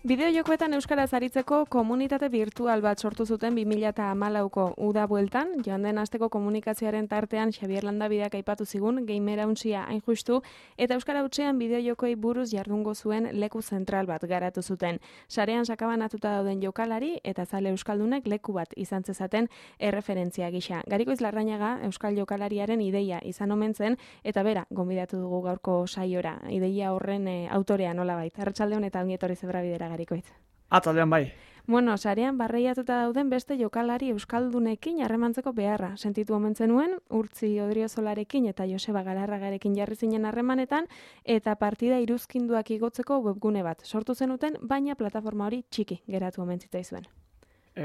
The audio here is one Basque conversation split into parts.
Bideojokoetan euskaraz aritzeko komunitate virtual bat sortu zuten 2014ko uda bueltan, joan den asteko komunikazioaren tartean Xabier Landabideak aipatu zigun Gamerauntsia hain justu, eta euskara hutsean bideojokoei buruz jardungo zuen leku zentral bat garatu zuten. Sarean sakabanatuta dauden jokalari eta zale euskaldunek leku bat izan zezaten erreferentzia gisa. Garikoitz Larrañaga euskal jokalariaren ideia izan omen zen, eta bera gonbidatu dugu gaurko saiora. Ideia horren autorea nolabait. Arratsaldeon eta ongi etorri Zebrabidera, Garikoitz. Atzaldean bai. Bueno, sarean barreiatuta dauden beste jokalari euskaldunekin harremantzeko beharra. Sentitu omen zenuen, Urtzi Odriozolarekin eta Joseba Galarragarekin jarri zinen harremanetan, eta partida iruzkinduak igotzeko webgune bat sortu zenuten, baina plataforma hori txiki geratu omen zitzaizuen.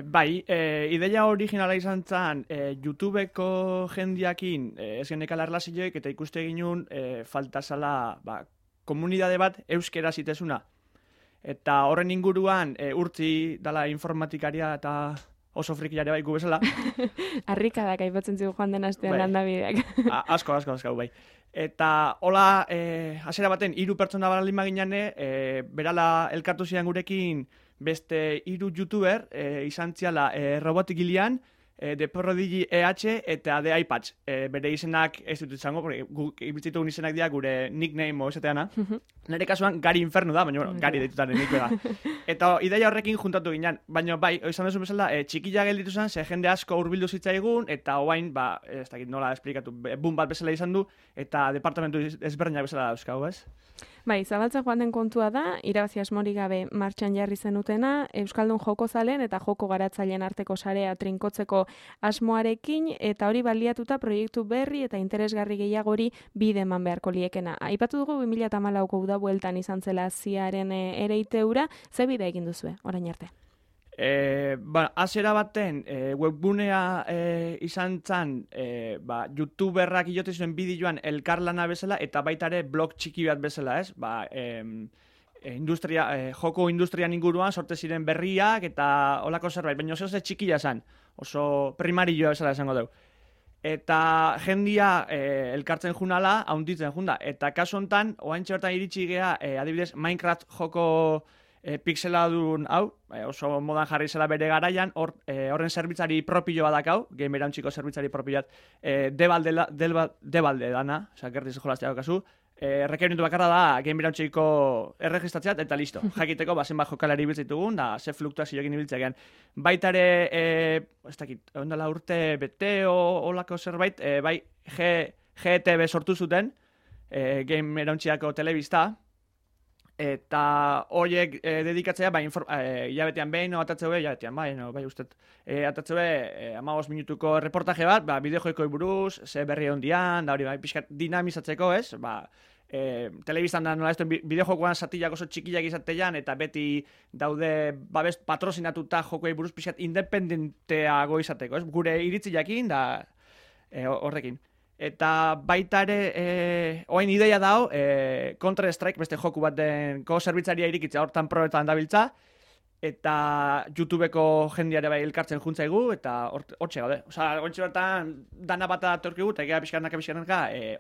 Bai, ideia originala izan zen YouTubeko jendiakin ez genekala erlazioek eta ikuste ginun falta zala komunidade bat euskera zitezuna. Eta horren inguruan Urtzi dala informatikaria eta oso frikiare bai gu bezala. Harrikadak aipatzen zigu joan den astean Landabideak. Asko, bai. Eta hola, hasiera baten 3 pertsona baldin maginean, berala elkartu ziren gurekin beste 3 youtuber, izan ziala Robotik Gilian, The Prodigy EH eta The iPads. Bere izenak ez dut izango, ibiltzitugun izenak dira gure nickname esateana. Nire kasuan Gari Inferno da, baina Gari deitutan nik da. Eta ideia horrekin juntatu ginen, baina bai, izan duzu bezala, txikila gelditu zen, ze jende asko hurbildu zitzaigun, eta oain, ez dakit nola esplikatu, boom bat bezala izan du, eta departamentu ezberdinak bezala dauzkau, ez? Bai, zabaltzen joan den kontua da, irabazi asmorik gabe martxan jarri zenutena, Euskaldun joko zalen eta joko garatzaileen arteko sarea trinkotzeko asmoarekin, eta hori baliatuta proiektu berri eta interesgarri gehiagori bide eman beharko liekena. Aipatu dugu 2014ko uda bueltan izan zela ziaren ereiteura, ze bide egin duzue, orain arte? Hasiera baten webgunea izan zen youtuberrak iote zuen bideoan elkarlana bezala eta baita ere blog txiki bat bezala, ez? Joko industrian inguruan sorte ziren berriak eta holako zerbait, baina oso txikia zen, oso primarioa bezala esango dugu. Eta jendia elkartzen junala, haunditzen junda. Eta kasu hontan, oaintxe bertan iritsi gea, adibidez, Minecraft joko pixeladun hau, oso modan jarri zela bere garaian, horren zerbitzari propio badakau, Gamerauntxiko zerbitzari propio bat, debalde dana, gertiz jolaztea kasu, rekerimentu bakarra da Gamerauntxiko erregistratzeat, eta listo, jakiteko zenbat jokalari ibiltzitugun, da ze fluktuazioekin ibiltzean. Baitare, ez dakit, ondala urte bete olako zerbait, bai GTV sortu zuten, Gamerauntxiako telebista, eta horiek dedikatzea, hilabetean behin, hilabetean bai, ustet, atatzeu 15 minutuko reportaje bat, bideojoikoi buruz, ze berri ondian, da hori, pixkat dinamizatzeko, ez? Telebistan da nola ez bideojokoan zatilak oso txikiak izatean, eta beti daude patrozinatuta jokoei buruz pixkat independenteago izateko, ez? Gure iritzi jakin, da horrekin. Eta baita ere, oain ideia dao, Counter-Strike, beste joku bat denko zerbitzaria irikitza hortan probetan dabiltza, eta YouTubeko jendiare bai elkartzen juntzaigu, eta hortxe gaude. Osa, hortxe bertan dana bat atorkigu, eta egea pixkanaka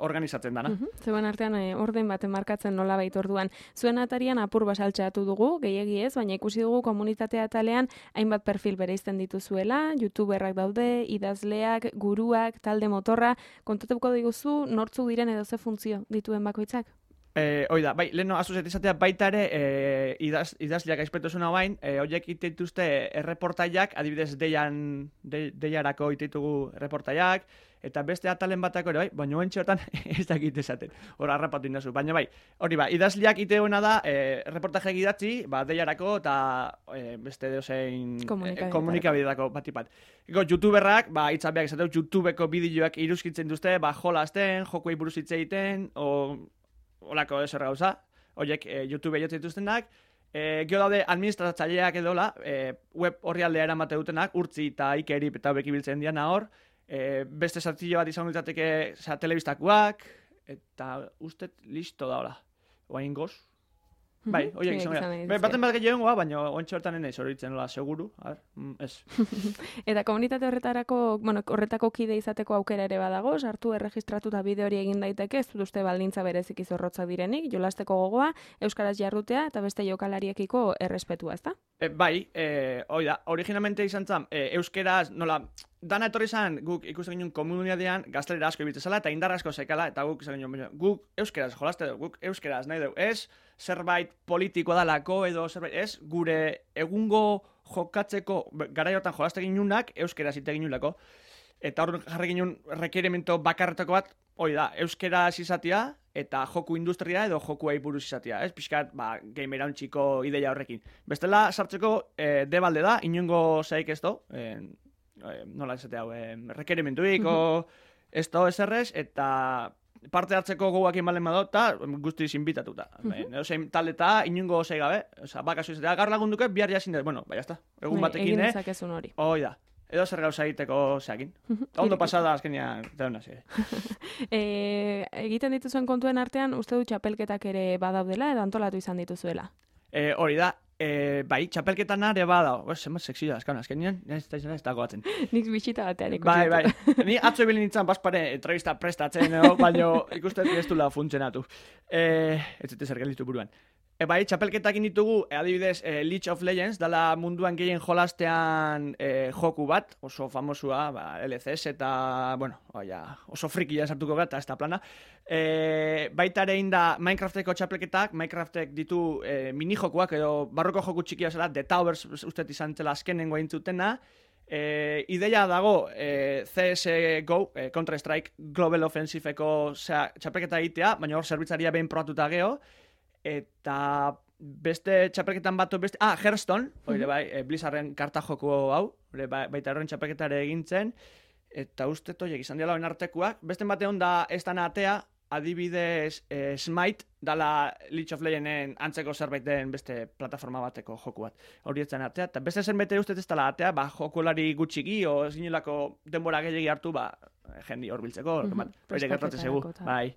organizatzen dana. Zeuen artean orden baten markatzen nola bait orduan. Zuen atarian apur basaltxeatu dugu, gehiegi ez, baina ikusi dugu komunitatea atalean hainbat perfil bereizten dituzuela, YouTuberrak daude, idazleak, guruak, talde motorra, kontatuko diguzu nortzuk diren edo ze funtzio dituen bakoitzak? Oida, bai, leheno azuzet izatea baita ere idazleak aizpetuzuna bain, horiek iteituzte erreportaiak, adibidez deiarako iteitugu erreportaiak, eta beste atalen batako ere, bai, baina oentxe hortan ez dakit esaten, hor harrapatu indazu, baina bai, hori ba, idazleak iteuena da, erreportajeak idatzi, deiarako eta beste dozein komunikabidetako batipat. YouTuberrak, itzabeak esateu, YouTubeko bideoak iruzkitzen duzte, jolazten, jokoei buruz hitz egiten, holako ezer gauza, horiek YouTube jotzen dituztenak, gero daude administratzaileak edola, web horri aldea eramate dutenak, Urtzi eta Ikerip eta hobek ibiltzen diana hor, beste zartillo bat izan ditzateke telebistakoak, eta ustet listo da hola. Oain goz? Bai, horiek izan gara. Baten bat gehiagoa, baina ontsa bertan enaiz horitzen nola, seguru. Ez. Eta komunitate horretako kide izateko aukera ere badago, sartu erregistratuta bide hori egin daiteke, ez dut uste baldintza berezik izorrotza direnik, jolasteko gogoa, euskaraz jarrutea eta beste jokalariekiko errespetua, ezta? Bai, originalmente izan zen, euskeraz, nola, dana etorri zen, guk ikusten ginen komunitatean gaztelera asko ibiltzen zela, eta indar asko zekala, eta guk izan ginen, guk euskeraz jolaste dugu, guk euskeraz nahi dugu, ez zerbait politikoa dalako, edo zerbait, ez gure egungo jokatzeko, garaiotan jolaste ginunak, euskeraz ite ginulako, eta hor jarri ginen requerimento bakarretako bat, euskeraz izatea, eta joku industria edo jokuei buruz izatea, ez? Pixkat, gamer hauntziko ideia horrekin. Bestela, sartzeko, debalde da, inongo zaik ez do, nola esatea hau, requerimentuik, ez do eserrez, eta parte hartzeko goguak inbalen bado, eta guztiz inbitatuta. Zein taleta, inongo zaik gabe, bakazu izatea, gar lagunduke, bihar jasin dut, bueno, bai, jazta, egun batekin, egin dezakezun hori. Da. Edo zer gauza egiteko zeakin. Ondo pasada azkenean, deuna zi. Egiten dituzuen kontuen artean, uste du txapelketak ere badaudela edo antolatu izan dituzuela? Hori da, bai, txapelketan are badao. Zenbat sekzioa, azkenean, ez dago batzen. Nik bitxita batean ikusi. Bai. Ni atzo ebilin nintzen baspare entrevista prestatzen, baina ikusten ez dula funtzionatu. Ez zute zer gelditu buruan. Bai, txapelketakin ditugu, adibidez, League of Legends, dala munduan gehien jolastean joku bat, oso famosua, LCS eta, oso frikia sartuko gara, eta ez da plana. Baita ere inda Minecrafteko txapelketak, Minecraftek ditu mini-jokuak, edo barroko joku txikia zela, The Towers ustet izan zela azkenengo eintzutena. Ideia dago CSGO, Counter-Strike, Global Offensiveko txapelketa egitea, baina hor zerbitzaria behin probatuta geho, eta beste txapelketan batu beste... Hearthstone, Blizzarden karta joko hau, baita horren txapelketare egintzen, eta uste toiek izan diala artekoak. Beste batean da ez dana atea, adibidez Smite, dala League of Legenden antzeko zerbaiten beste plataforma bateko joku bat. Hori etzen atea, eta beste zen bete uste ez dala atea, jokulari gutxiki, o zinelako denbora gehiagi hartu, jendi hor biltzeko, hori gertatzen zegu, bai.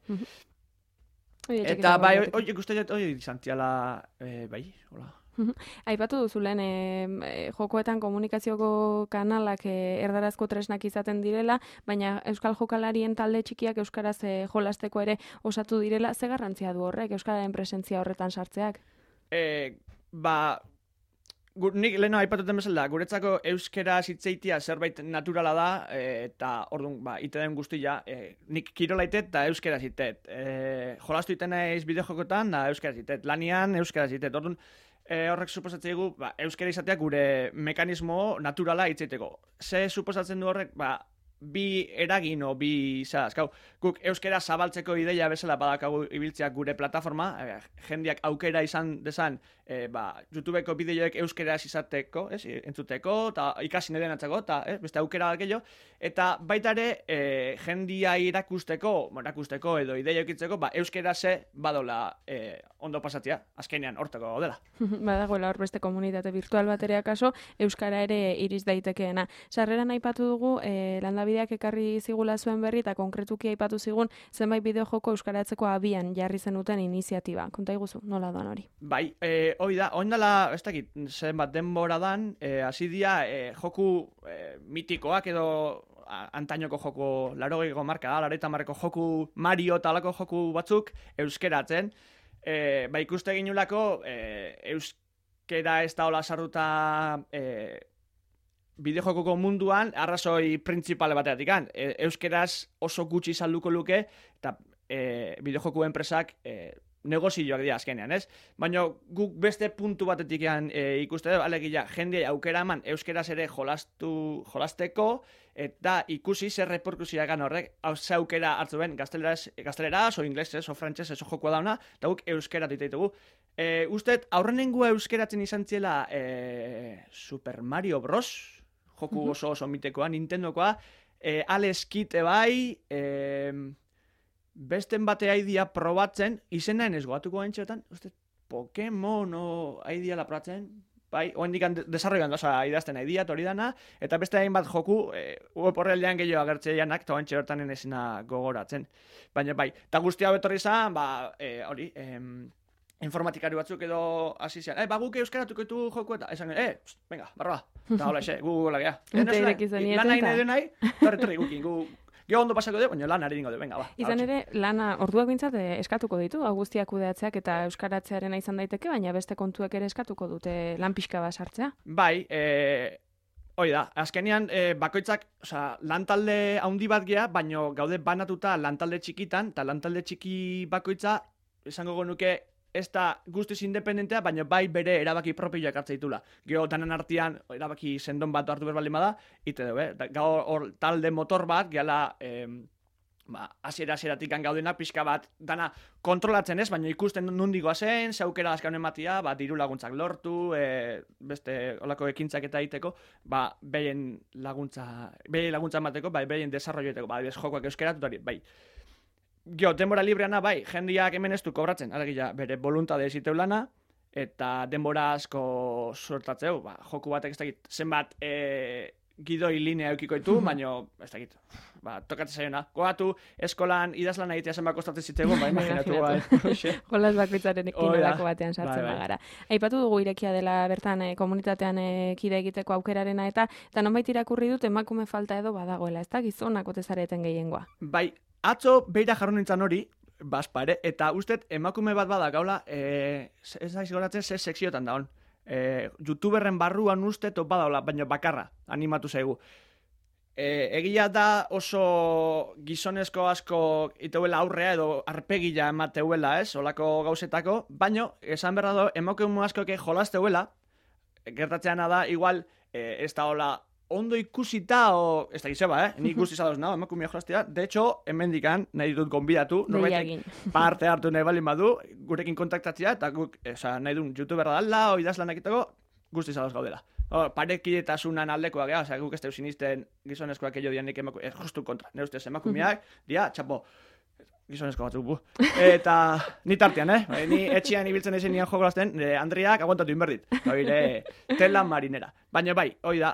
Eta bai, hori ikusten hori izan tiala, bai, hola. Aipatu duzulen, jokoetan komunikazioko kanalak erdarazko tresnak izaten direla, baina euskal jokalarien talde txikiak euskaraz jolasteko ere osatu direla, ze garrantzia du horrek, euskararen presentzia horretan sartzeak? Nik leheno aipatuten bezala, guretzako euskera zitzeitia zerbait naturala da, eta orduan, ite den guztia, nik kirola itet eta euskera zitet. Jolastu iten naiz bideojokotan, da euskera zitet. Lanian, euskera zitet. Orduan, horrek suposatzen dugu, euskera izatea gure mekanismo naturala hitzeiteko. Ze suposatzen du horrek, bi eragin o bi zazkau. Guk euskera zabaltzeko ideia bezala badakagu ibiltzeak gure plataforma, jendiak aukera izan dezan, YouTubeko bideoek euskeraz izateko, entzuteko, eta ikasi neden atzako, eta beste aukera gehiago, eta baita ere jendia irakusteko edo ideia ekitzeko, euskeraz badola ondo pasatzea, azkenean hortako dela. Badagoela hor beste komunitate virtual baterea kaso, euskara ere iriz daitekeena. Sarreran aipatu dugu, landabideak ekarri zigula zuen berri, eta konkretuki aipatu zigun, zenbait bideojoko euskaratzeko abian jarri zenuten iniziatiba. Konta iguzu, nola doan hori? Bai, hori da, oindala, ez dakit, zenbat denbora dan, hasi dia joku mitikoak edo antainoko joku, 80ko marka, 80ko joku Mario eta alako joku batzuk euskeratzen. Ikuste ginulako, euskera ez da hola sarruta bideojokoko munduan, arrazoi printzipale bateatik. Euskeraz oso gutxi salduko luke, eta bideojoku enpresak negozioak dira azkenean, ez? Baina guk beste puntu batetik ikuste dugu, alegia, jende aukera eman euskeraz ere jolasteko, eta ikusi zer reperkusioa gan horrek, ze aukera hartu ben gazteleraz, o inglesez, o frantzesez, o jokoa dauna, eta guk euskera ditugu. Usted, aurrenengua euskeratzen izan ziela Super Mario Bros, joku oso mitekoa, Nintendokoa, Alex Kidd bai, besten bate aidia probatzen, izenaen ez goatuko gaintxetan, Pokemon aidia la probatzen, bai, oendikan desarroian doza idazten aidia, hori dana, eta beste hainbat joku, web horreldean gehiago agertzeianak, eta oentxe hortan ezina gogoratzen. Baina bai, eta guztia betorri izan, hori, informatikari batzuk edo hasi zian, guk euskaratuko ditu joku eta esan venga, barra, eta hola gu lagea. Lan nahi, torri gukin, Gio ondo pasako de, baina lan ari dingo de, venga, ba. Izan ere, lana orduak bintzat eskatuko ditu, guztiak kudeatzeak eta euskaratzearen izan daiteke, baina beste kontuek ere eskatuko dute lan pixka bat sartzea. Bai, hoi da, azkenean bakoitzak, lantalde handi bat gea, baina gaude banatuta lantalde txikitan, eta lantalde txiki bakoitza, esango genuke, ez da guztiz independentea, baina bai bere erabaki propioak hartza ditula. Gero danan artean erabaki sendon bat hartu berbali bada, ite dugu, gaur talde motor bat, gehala hasieratik gaudena pixka bat dana kontrolatzen ez, baina ikusten nundigoa zen, zeukera azkaun ematia, diru laguntzak lortu, beste olako ekintzak eta egiteko, behien laguntza emateko, behien desarrolloeteko, jokoak euskeratutari, bai. Gio, denbora libreana, bai, jendiak hemen ez du kobratzen, alegia, bere voluntade eziteu lana, eta denbora asko sortatzeu, joku batek ez dakit, zenbat gidoi linea eukiko ditu, baina ez dakit, tokatzen zaiona. Gogatu, eskolan idazlan egitea zenbat kostatzen zitzego, imaginatu, Jolas bakoitzaren inolako batean sartzen bagara. Aipatu dugu irekia dela bertan komunitatean kide egiteko aukerarena eta nonbait irakurri dut emakume falta edo badagoela, ez da gizonak ote zareten gehiengoa. Bai, atzo beira jarro nintzen hori, bazpare, eta ustet emakume bat bada gaula, ez da izgoratzen ze sekziotan daun. YouTuberren barruan uste top badaula, baina bakarra, animatu zaigu. Egia da oso gizonezko asko iteuela aurrea edo arpegila emateuela, ez, olako gauzetako, baina esan berra do, emakume askoke jolazteuela, gertatzeana da, igual, ez da hola, ondo ikusita, ez da gizeba, nik guzti zadoz nago, emakumea jolaztea. De hecho, hemendikan nahi ditut gonbidatu, norbaitek parte hartu nahi balin badu, gurekin kontaktatzea, eta guk, nahi duen youtuberra dala, idazlanak egiteko, guzti zadoz gaudela. Parekidetasunan aldekoak, guk ez teu sinisten gizonezkoak ello dianik emakumeak, justu kontra, nire ustez emakumeak, dia, txapo, gizonezko batzuk bu. Eta ni tartean, ni etxian ibiltzen ezen nian jogolazten, Andriak aguantatu inberdit. Oire, tela marinera. Baina bai, hoi da,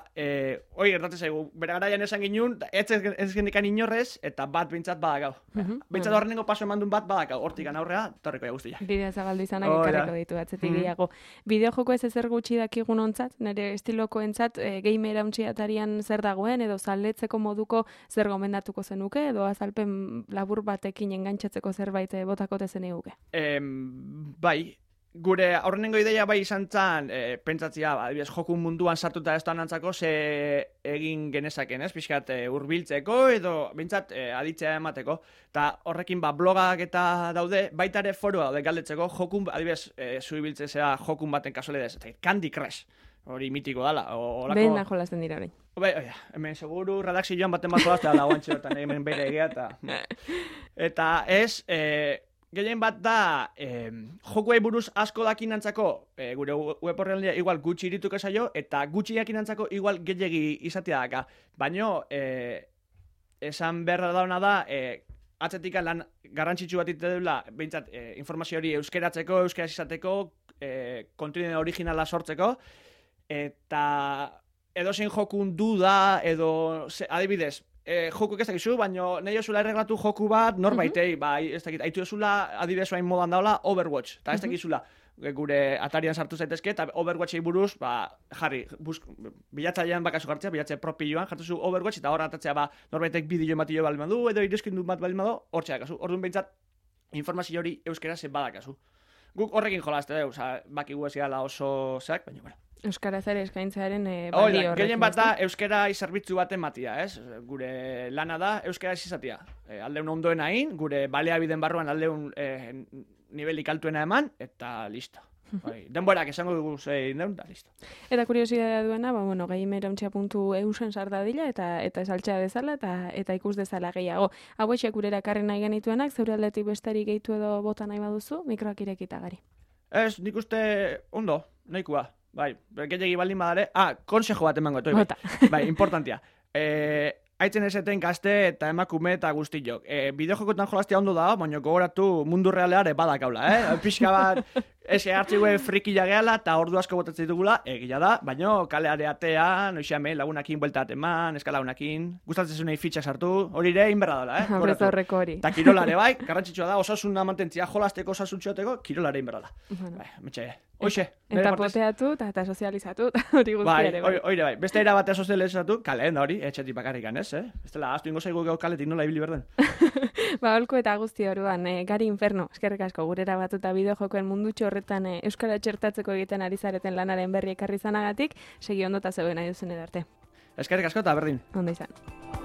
hoi gertatzen zaigu, bere garaian esan ginun, ez gendikan inorrez, eta bat bintzat badakau. Bintzat horrengo paso emandun bat badakau, hortikan aurrea, torreko ja guztia. Bidea zabaldu izanak ekarriko ditu atzetik gehiago. Bideojoko ez ezer gutxi dakigun ontzat, nire estiloko entzat, gamer hauntxiatarian zer dagoen, edo zaletzeko moduko zer gomendatuko zenuke, edo azalpen labur batekin engantzatzeko zerbait botakote zen eguke. Bai, gure aurrenengo ideia bai izan zan, pentsatzia, adibidez, joku munduan sartuta ez antzako ze egin genezaken, ez? Pixkat hurbiltzeko edo bintzat aditzea emateko. Eta horrekin blogak eta daude, baita ere forua daude galdetzeko, jokun, adibidez, zuibiltzea jokun baten kasualidez, Candy Crush. Hori mitiko dala. Behin da jolazten dira hori. Hemen seguru redakzioan baten bat jolaztea da guantxerotan, hemen bere egea eta ez, gehien bat da, jokuei buruz asko dakinantzako, gure web horrean igual gutxi irituko zaio, eta gutxi dakinantzako igual gehiagi izatea daka. Baina, esan berra dauna da, atzetik lan garrantzitsu bat itedula, behintzat, informazio hori euskeratzeko, euskeraz izateko, kontenido originala sortzeko, eta edozein jokun duda, edo, adibidez, joku ez dakizu, baina nahi osula erreglatu joku bat norbaitei, ez dakit, haitu osula adibidez bain modan daula Overwatch, eta ez dakizula gure Atarian sartu zaitezke, eta Overwatchei buruz, jarri, bilatzailean bakazu jartzea, bilatze propioan, jartuzu Overwatch, eta hor atatzea norbaitek bideo ematio balin badu, edo iruzkindu bat balin badu, hor txedakazu. Orduan behintzat, informazio hori euskera zen badakazu. Guk horrekin jolazte, bakigu ez gala oso zeak, baina, bueno. Euskaraz ere eskaintzearen baldi horrekin. Gehien bat da euskera zerbitzu baten matia, ez? Gure lana da euskera izatea. Aldeun ondoen hain, gure baleabiden barruan aldeun nivelik altuena eman, eta listo. Denborak esango dugu zein deun, eta listo. Eta kuriosidadea duena, gamerauntxia.eusen sardadila, eta esaltxea dezala, eta ikus dezala gehiago. Hauexek gurera karri nahi genituenak, zeure aldetik besterik gehitu edo bota nahi baduzu, mikroak irekita gari. Ez, nik uste ondo, nahikoa. Bai, gehiagi baldin badare. Konsejo bat emango, bai, importantia. Aitzen eseten gazte eta emakume eta guztiok. Bideojokotan jolaztea ondo da, baina gogoratu mundu realeare badakaula, Pixka bat, Ese hartzigue frikila gehala eta ordu asko botatzen ditugula, egia da, baino kaleare atean, oixame, lagunakin buelta eman, eskalagunakin, gustatzen zunei fitxak sartu, hori ere inberra dela, Horrez aurreko hori. Eta kirolare bai, garrantzitsua da, osasuna mantentzia jolasteko, osasuntxoteko, kirolare inberra da. Bai, metxe, hoxe. Eta poteatu eta sozializatu, hori guzti ere. Bai, hori bai, beste era batea sozializatu, kaleen da hori, etxetik bakarrikan, ez, Ez dela, aztu ingo zaigu kaletik nola ibili berden. Ba, holko eta guzti oruan, Gari Inferno, eskerrik asko, gurera batuta bideojokoen mundutxo horretan euskara txertatzeko egiten ari zareten lanaren berri ekarri zanagatik, segi ondo eta zegoen nahi duzen edarte. Eskerrik asko eta berdin. Ondo izan.